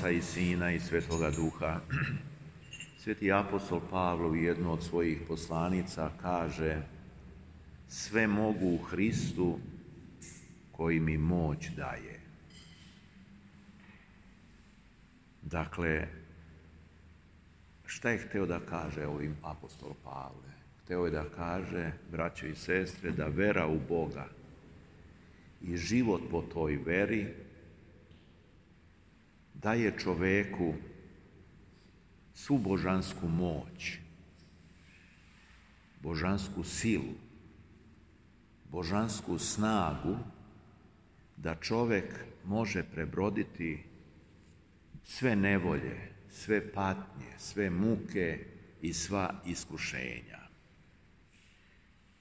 Oca i Sina i Svetoga Duha. Sveti apostol Pavle u jednu od svojih poslanica kaže: sve mogu u Hristu koji mi moć daje. Dakle, šta je hteo da kaže ovim apostol Pavle? Hteo je da kaže, braćo i sestre, da vera u Boga i život po toj veri daje čoveku svu božansku moć, božansku silu, božansku snagu da čovek može prebroditi sve nevolje, sve patnje, sve muke i sva iskušenja.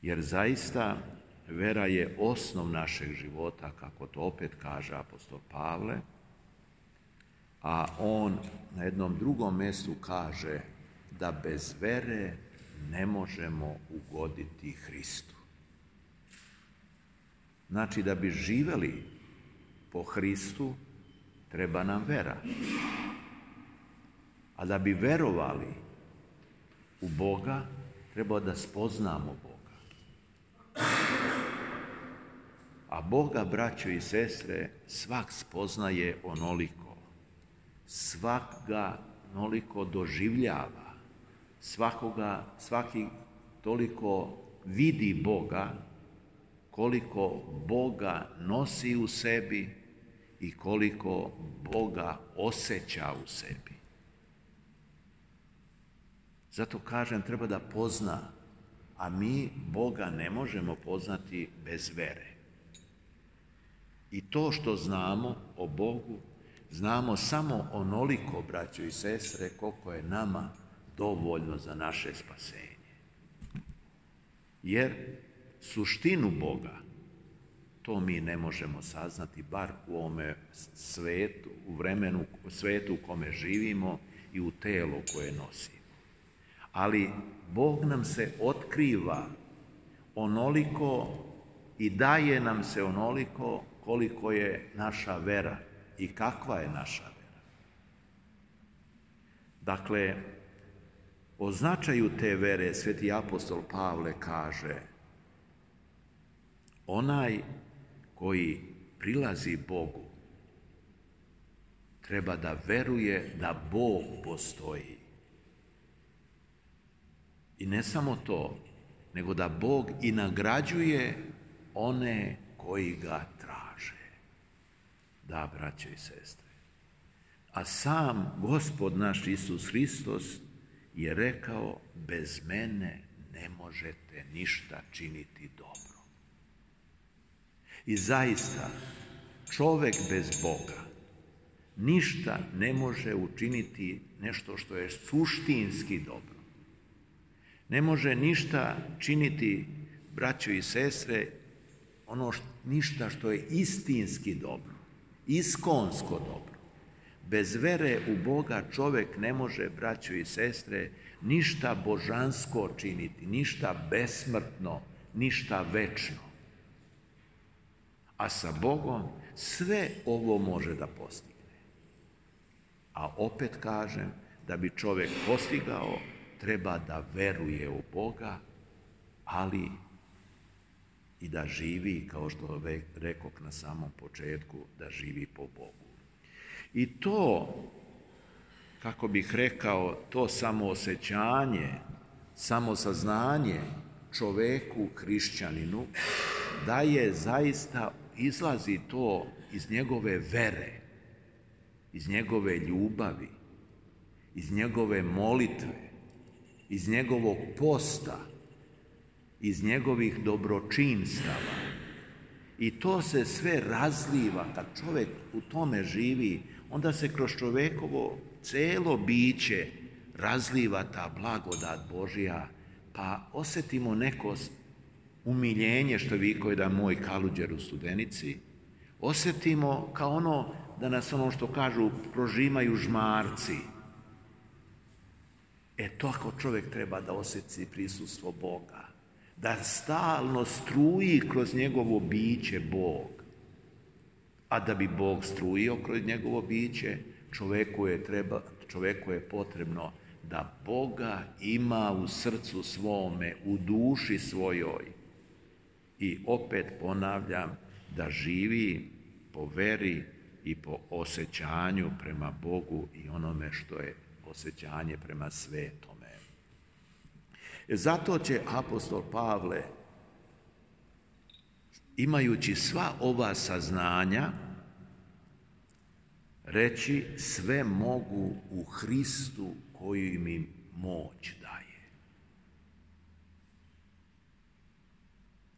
Jer zaista vera je osnov našeg života, kako to opet kaže apostol Pavle, a on na jednom drugom mjestu kaže da bez vere ne možemo ugoditi Hristu. Znači, da bi živeli po Hristu, treba nam vera. A da bi verovali u Boga, treba da spoznamo Boga. A Boga, braćo i sestre, svak spoznaje onoliko. Svak ga onoliko doživljava. Svaki toliko vidi Boga, koliko Boga nosi u sebi i koliko Boga osjeća u sebi. Zato kažem, treba da pozna, a mi Boga ne možemo poznati bez vere. I to što znamo o Bogu, znamo samo onoliko, braćo i sestre, koliko je nama dovoljno za naše spasenje. Jer suštinu Boga, to mi ne možemo saznati, bar u ovome svetu, u svetu u kome živimo i u telu koje nosimo. Ali Bog nam se otkriva onoliko i daje nam se onoliko koliko je naša vera i kakva je naša vera. Dakle, o značaju te vere sveti apostol Pavle kaže: onaj koji prilazi Bogu treba da veruje da Bog postoji. I ne samo to, nego da Bog i nagrađuje one koji ga traže. Da, braće i sestre. A sam Gospod naš Isus Hristos je rekao: bez mene ne možete ništa činiti dobro. I zaista, čovek bez Boga ništa ne može učiniti nešto što je suštinski dobro. Ne može ništa činiti, braćo i sestre, ništa što je istinski dobro, iskonsko dobro. Bez vere u Boga čovek ne može, braćo i sestre, ništa božansko činiti, ništa besmrtno, ništa večno. A sa Bogom sve ovo može da postigne. A opet kažem, da bi čovek postigao, treba da veruje u Boga, ali i da živi, kao što rekoh na samom početku, da živi po Bogu. I to, kako bih rekao, to samoosjećanje, samosaznanje čoveku, hrišćaninu, da je zaista, izlazi to iz njegove vere, iz njegove ljubavi, iz njegove molitve, iz njegovog posta, iz njegovih dobročinstava. I to se sve razliva. Kad čovjek u tome živi, onda se kroz čovekovo celo biće razliva ta blagodat Božja, pa osjetimo neko umiljenje, što vikao jedan moj Kaluđer u Studenici, osjetimo kao ono, da nas ono što kažu, prožimaju žmarci. To ako čovjek treba da osjeti prisustvo Boga, da stalno struji kroz njegovo biće Bog. A da bi Bog strujio kroz njegovo biće, čovjeku je potrebno da Boga ima u srcu svome, u duši svojoj. I opet ponavljam, da živi po veri i po osjećanju prema Bogu i onome što je osjećanje prema svetome. Zato će apostol Pavle, imajući sva ova saznanja, reći sve mogu u Hristu koji mi moć daje.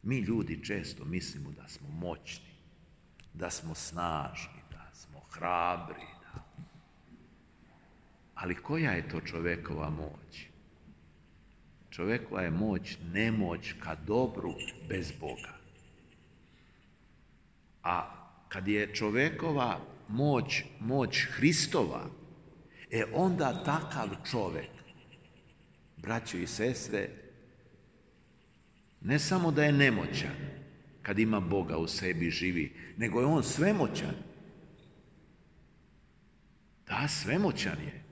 Mi ljudi često mislimo da smo moćni, da smo snažni, da smo hrabri. Ali koja je to čovjekova moć? Čovjekova je moć nemoć ka dobru bez Boga. A kad je čovjekova moć Hristova, onda takav čovjek, braćo i sestre, ne samo da je nemoćan kad ima Boga u sebi živi, nego je on svemoćan. Da, svemoćan je.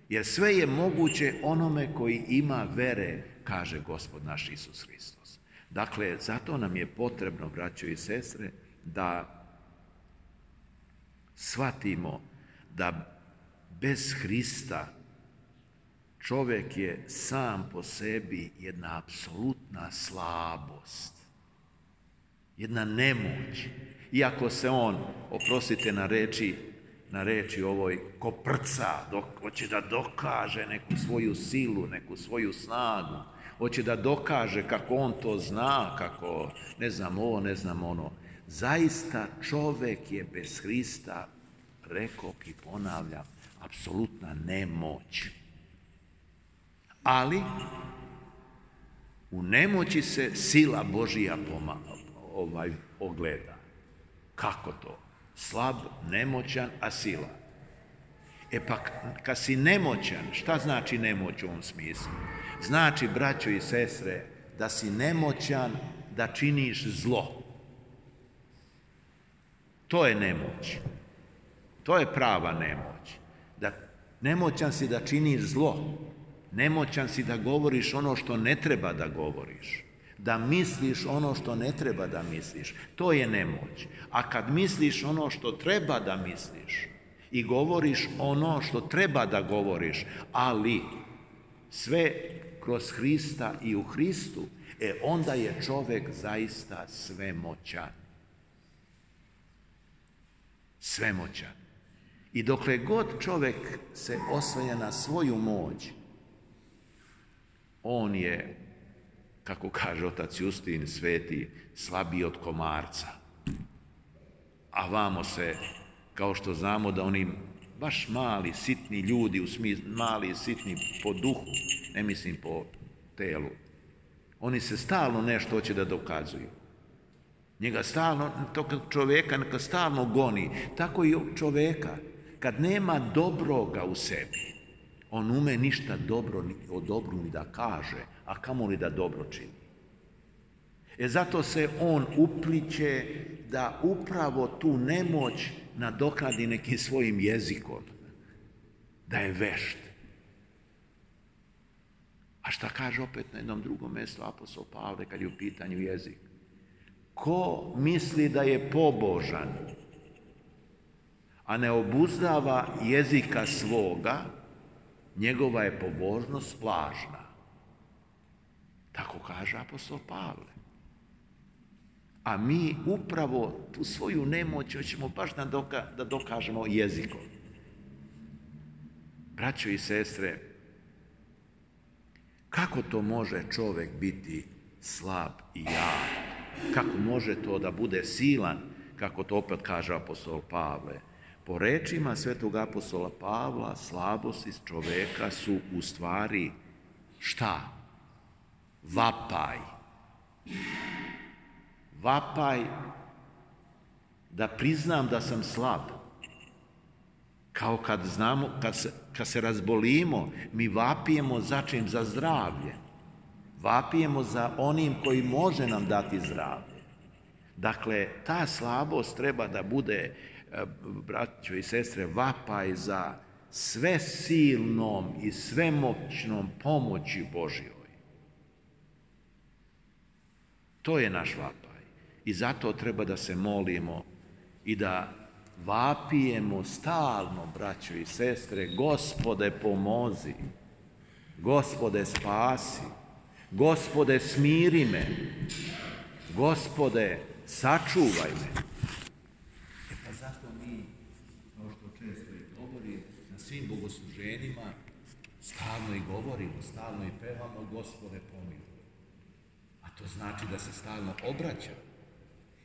Jer sve je moguće onome koji ima vere, kaže Gospod naš Isus Hristos. Dakle, zato nam je potrebno, braćo i sestre, da shvatimo da bez Hrista čovjek je sam po sebi jedna apsolutna slabost, jedna nemoć. Iako se on, oprostite na reči ovoj, koprca, hoće da dokaže neku svoju silu, neku svoju snagu, hoće da dokaže kako on to zna, kako ne znam ovo, ne znam ono. Zaista čovjek je bez Hrista, rekoh i ponavljam, apsolutna nemoć. Ali u nemoći se sila Božija ogleda. Kako to? Slab, nemoćan, a sila. Pa kad si nemoćan, šta znači nemoć u ovom smislu? Znači, braćo i sestre, da si nemoćan da činiš zlo. To je nemoć. To je prava nemoć. Nemoćan si da činiš zlo. Nemoćan si da govoriš ono što ne treba da govoriš. Da misliš ono što ne treba da misliš. To je nemoć. A kad misliš ono što treba da misliš i govoriš ono što treba da govoriš, ali sve kroz Hrista i u Hristu, onda je čovjek zaista svemoćan. Svemoćan. I dokle god čovjek se oslanja na svoju moć, on je, kako kaže otac Justin Sveti, slabiji od komarca. A vamo se, kao što znamo da oni baš mali, sitni ljudi, u smislu mali, sitni po duhu, ne mislim po telu, oni se stalno nešto hoće da dokazuju. Njega stalno, tog čovjeka neka stalno goni. Tako i čovjeka, kad nema dobroga u sebi, on ume ništa dobro o dobru ni da kaže, a kamoli da dobro čini. Zato se on upliće da upravo tu nemoć nadoknadi nekim svojim jezikom, da je vešt. A šta kaže opet na jednom drugom mjestu apostol Pavle kad je u pitanju jezik? Ko misli da je pobožan, a ne obuzdava jezika svoga, njegova je pobožnost lažna. Tako kaže apostol Pavle. A mi upravo tu svoju nemoć hoćemo baš da dokažemo jezikom. Braćo i sestre, kako to može čovjek biti slab i jak? Kako može to da bude silan, kako to opet kaže apostol Pavle? Po rečima svetog apostola Pavla, slabosti čovjeka su u stvari šta? Vapaj. Vapaj da priznam da sam slab. Kao kad znamo, kad se razbolimo, mi vapijemo za čim? Za zdravlje. Vapijemo za onim koji može nam dati zdravlje. Dakle, ta slabost treba da bude braćo i sestre, vapaj za sve silnom i svemoćnom pomoći Božjoj. To je naš vapaj. I zato treba da se molimo i da vapijemo stalno, braćo i sestre, Gospode pomozi, Gospode spasi, Gospode smiri me, Gospode sačuvaj me. Pa zato mi, kao što često i govori, na svim bogosluženjima stalno i govorimo, stalno i pevamo Gospode pomiluj. A to znači da se stalno obraćam.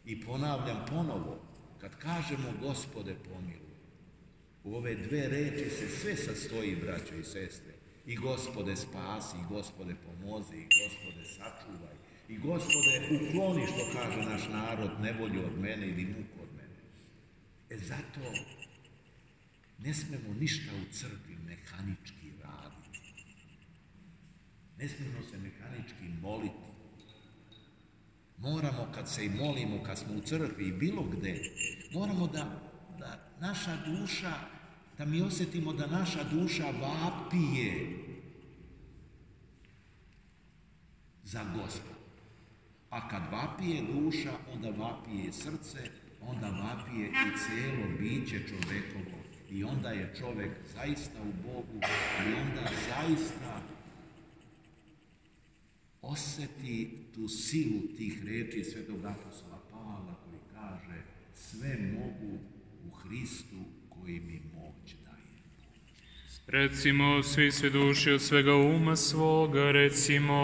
I ponavljam ponovo, kad kažemo Gospode pomiluj, u ove dve reči se sve sastoji, braćo i sestre. I Gospode spasi, i Gospode pomozi, i Gospode sačuvaj, i Gospode ukloni, što kaže naš narod, nevolju od mene ili muku od mene. Zato ne smemo ništa u crkvi mehanički raditi. Ne smemo se mehanički moliti. Moramo, kad se i molimo, kad smo u crkvi i bilo gde, moramo da naša duša, da mi osjetimo da naša duša vapije za Gospod. A kad vapije duša, onda vapije srce, onda vapije i cijelo biće čovekovo. I onda je čovek zaista u Bogu i onda zaista osjeti tu silu tih reči svetog apostola Pavla koji kaže sve mogu u Hristu koji mi moć daje. Recimo, svi sveduši od svega uma svoga, recimo...